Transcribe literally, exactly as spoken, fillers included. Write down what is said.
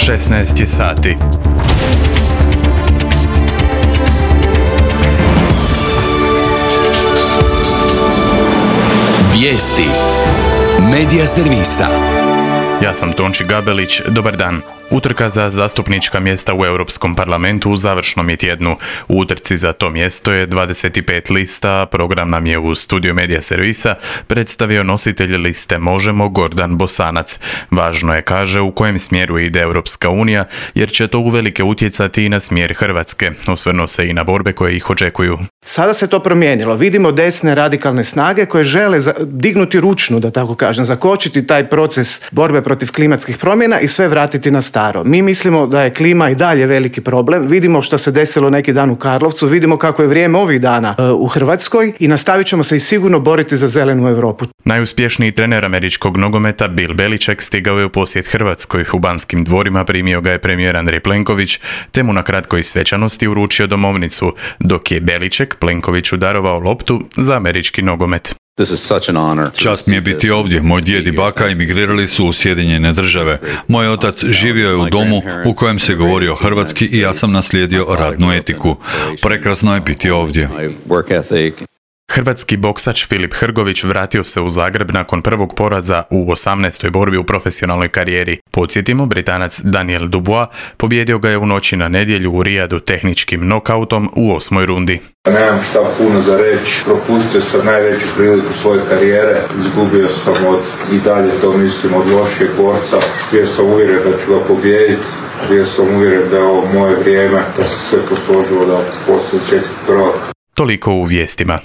šesnaest je sati. Vijesti Medija servisa. Ja sam Tonči Gabelić, dobar dan. Utrka za zastupnička mjesta u Europskom parlamentu u završnom je tjednu. U utrci za to mjesto je dvadeset pet lista, program nam je u studiju Medija servisa predstavio nositelj liste Možemo Gordan Bosanac. Važno je, kaže, u kojem smjeru ide Europska unija, jer će to uvelike utjecati i na smjer Hrvatske. Osvrnuo se i na borbe koje ih očekuju. Sada se to promijenilo. Vidimo desne radikalne snage koje žele dignuti ručnu, da tako kažem, zakočiti taj proces borbe protiv klimatskih promjena i sve vratiti na staro. Mi mislimo da je klima i dalje veliki problem. Vidimo što se desilo neki dan u Karlovcu, vidimo kako je vrijeme ovih dana u Hrvatskoj i nastavit ćemo se i sigurno boriti za zelenu Europu. Najuspješniji trener američkog nogometa Bill Belichick stigao je u posjet Hrvatskoj. U Banskim dvorima primio ga je premijer Andrej Plenković, te mu na kratkoj svečanosti uručio domovnicu, dok je Belichick Plenkoviću darovao loptu za američki nogomet. Čast mi je biti ovdje. Moj djed i baka emigrirali su u Sjedinjene Države. Moj otac živio je u domu u kojem se govorio hrvatski i ja sam naslijedio radnu etiku. Prekrasno je biti ovdje. Hrvatski boksač Filip Hrgović vratio se u Zagreb nakon prvog poraza u osamnaestoj borbi u profesionalnoj karijeri. Podsjetimo, Britanac Daniel Dubois pobjedio ga je u noći na nedjelju u Rijadu tehničkim nokautom u osmoj rundi. Nemam šta puno za reći, propustio sam najveću priliku svoje karijere, izgubio sam od, i dalje to mislim, od lošijeg borca. Bio sam uvjeren da ću ga pobijediti, bio sam uvjeren da je ovo moje vrijeme, da se sve posložilo da postoji svjetski prvak. Toliko u vijestima.